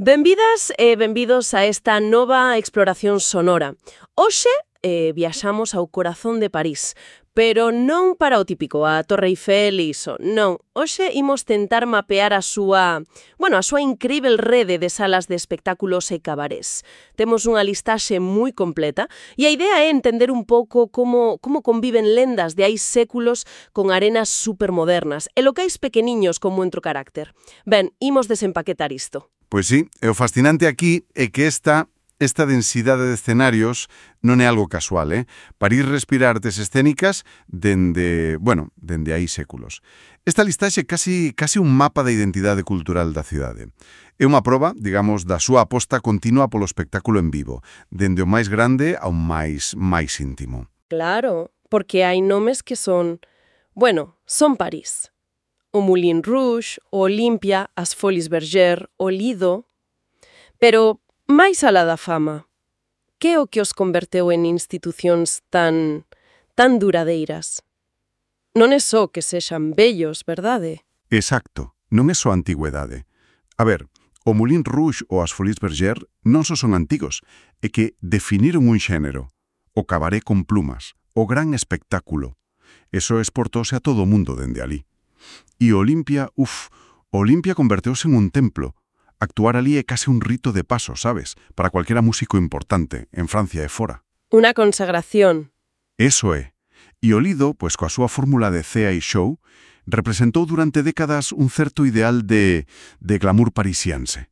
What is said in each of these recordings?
Benvidas e benvidos a esta nova exploración sonora. Hoxe viaxamos ao corazón de París, pero non para o típico, a Torre Eiffel e iso, non. Hoxe imos tentar mapear a súa incrível rede de salas de espectáculos e cabarés. Temos unha listaxe moi completa e a idea é entender un pouco como conviven lendas de hai séculos con arenas supermodernas e locais pequeniños con moito carácter. Ben, imos desempaquetar isto. Pois sí, e o fascinante aquí é que esta densidade de escenarios non é algo casual, París respira artes escénicas dende hai séculos. Esta listaxe é casi un mapa da identidade cultural da cidade. É unha proba, digamos, da súa aposta continua polo espectáculo en vivo, dende o máis grande ao máis íntimo. Claro, porque hai nomes que son París. O Moulin Rouge, o Olimpia, as Folies Bergère, o Lido. Pero, máis alá da fama, que é o que os converteu en institucións tan duradeiras? Non é só que sexan bellos, verdade? Exacto, non é só antigüedade. A ver, o Moulin Rouge ou as Folies Bergère non só son antigos, é que definiron un xénero, o cabaré con plumas, o gran espectáculo. Eso exportouse a todo o mundo dende ali. E Olimpia converteuse en un templo. Actuar ali é case un rito de paso, sabes? Para cualquiera músico importante, en Francia e fora. Unha consagración. Eso é. E o Lido, pois coa súa fórmula de cea e show, representou durante décadas un certo ideal de glamour parisiense.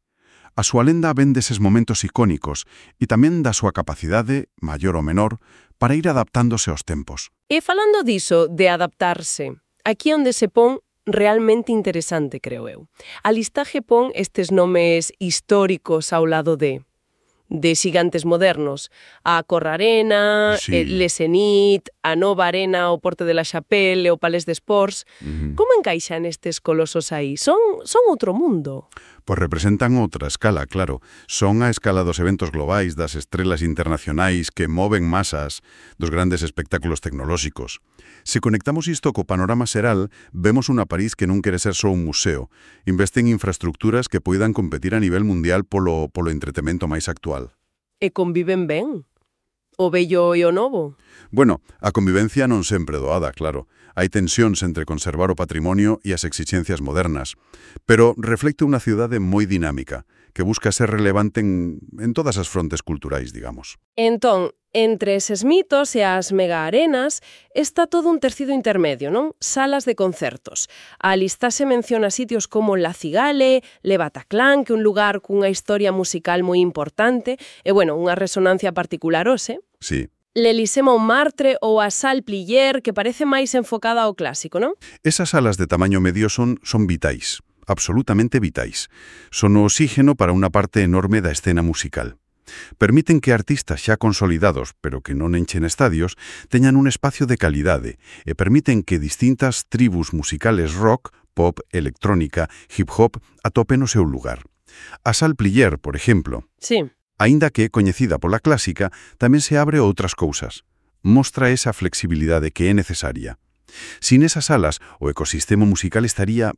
A súa lenda ven deses momentos icónicos e tamén da súa capacidade, maior ou menor, para ir adaptándose aos tempos. E falando diso, de adaptarse, aquí onde se pon realmente interesante, creo eu. A listaxe pon estes nomes históricos ao lado de xigantes modernos. A Corrarena, Sí. Le Zénith, a Nova Arena, o Porte de la Chapelle, o Palais des Sports. Como encaixan estes colosos aí? Son outro mundo. Pois representan outra escala, claro. Son a escala dos eventos globais, das estrelas internacionais que moven masas, dos grandes espectáculos tecnolóxicos. Se conectamos isto co panorama xeral, vemos unha París que non quere ser só un museo. Investe en infraestructuras que poidan competir a nivel mundial polo entretemento máis actual. E conviven ben. O bello e o novo. Bueno, a convivencia non sempre doada, claro. Hai tensións entre conservar o patrimonio e as exixencias modernas, pero reflecte unha cidade moi dinámica, que busca ser relevante en todas as frontes culturais, digamos. Entón, entre eses mitos e as megaarenas está todo un tecido intermedio, non? Salas de concertos. A listaxe menciona sitios como La Cigale, Le Bataclan, que é un lugar cunha historia musical moi importante, e, unha resonancia particular hoxe. Sí. L'Élysée Montmartre ou a Salle Pleyel, que parece máis enfocada ao clásico, non? Esas salas de tamaño medio son vitais, absolutamente vitais. Son o oxígeno para unha parte enorme da escena musical. Permiten que artistas xa consolidados, pero que non enchen estadios, teñan un espacio de calidade e permiten que distintas tribus musicales rock, pop, electrónica, hip-hop atopen o seu lugar. A Salle Pleyel, por exemplo, Sí. aínda que é coñecida pola clásica, tamén se abre a outras cousas. Mostra esa flexibilidade que é necesaria. Sin esas salas, o ecosistema musical estaría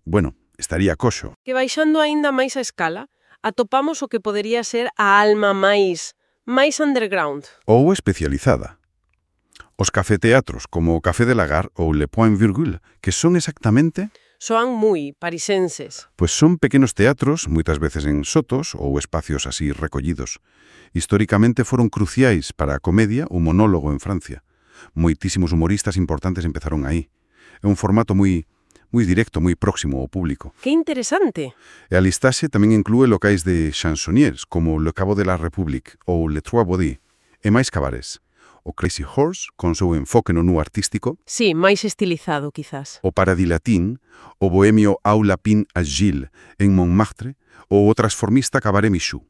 coxo. Que baixando aínda máis a escala, atopamos o que podería ser a alma máis underground. Ou especializada. Os cafeteatros como o Café de la Gare ou Le Point Virgule, que son exactamente... Soan moi parisenses. Pois son pequenos teatros, moitas veces en sotos ou espacios así recollidos. Históricamente foron cruciais para a comedia ou monólogo en Francia. Moitísimos humoristas importantes empezaron aí. É un formato moi directo, moi próximo ao público. Que interesante. E a listaxe tamén inclúe locais de chansonniers, como Le Caveau de la République ou Le Trois Baudet, e máis cabarés. O Crazy Horse, con seu enfoque no nu artístico, Sí, máis estilizado, quizás. o Paradis Latin, o bohemio Au Lapin Agile, en Montmartre, ou o transformista Cabaret Michou.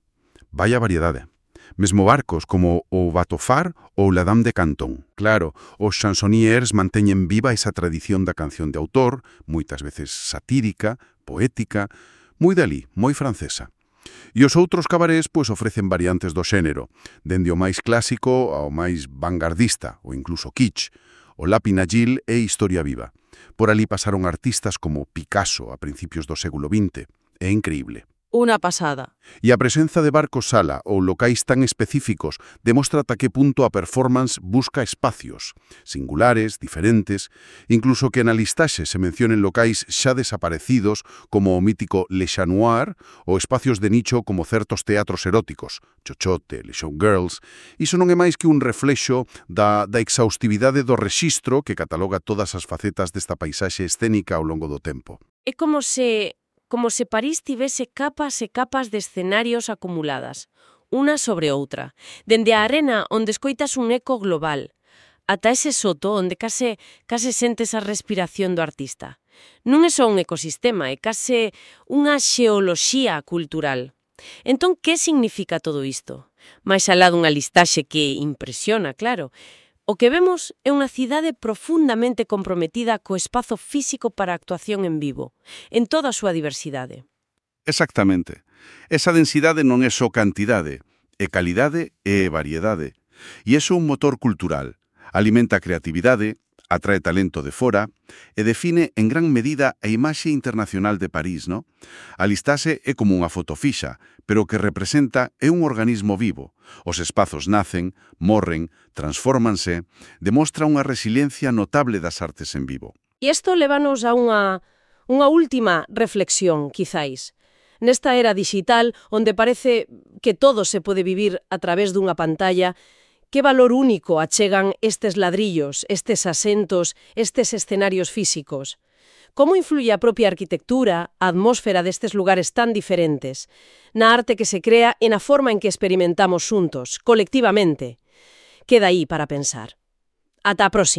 Vaya variedade. Mesmo barcos como o Bateau Phare ou La Dame de Canton. Claro, os chansonniers manteñen viva esa tradición da canción de autor, moitas veces satírica, poética, moi dali, moi francesa. E os outros cabarés ofrecen variantes do xénero, dende o máis clásico ao máis vanguardista, ou incluso kitsch. O Lapin Agile é historia viva. Por ali pasaron artistas como Picasso a principios do século XX. É increíble. Unha pasada. E a presenza de barcos sala ou locais tan específicos demostra ata que punto a performance busca espacios, singulares, diferentes, incluso que na listaxe se mencionen locais xa desaparecidos como o mítico Le Chat Noir ou espacios de nicho como certos teatros eróticos, Chochote, Le Showgirls. Iso non é máis que un reflexo da exhaustividade do rexistro que cataloga todas as facetas desta paisaxe escénica ao longo do tempo. É como se París tivese capas e capas de escenarios acumuladas, unha sobre outra, dende a arena onde escoitas un eco global, ata ese soto onde case sentes a respiración do artista. Non é só un ecosistema, é case unha xeoloxía cultural. Entón, que significa todo isto? Mais alá dunha listaxe que impresiona, claro. O que vemos é unha cidade profundamente comprometida co espazo físico para a actuación en vivo, en toda a súa diversidade. Exactamente. Esa densidade non é só cantidade, é calidade e variedade. E iso é un motor cultural. Alimenta a creatividade, atrae talento de fora e define en gran medida a imaxe internacional de París, ¿no? A listaxe é como unha foto fixa, pero o que representa é un organismo vivo. Os espazos nacen, morren, transfórmanse, demostra unha resiliencia notable das artes en vivo. E isto levanos a unha última reflexión, quizáis. Nesta era digital, onde parece que todo se pode vivir a través dunha pantalla, que valor único achegan estes ladrillos, estes asentos, estes escenarios físicos? Como influye a propia arquitectura, a atmósfera destes lugares tan diferentes, na arte que se crea e na forma en que experimentamos xuntos, colectivamente? Queda aí para pensar. Ata a próxima.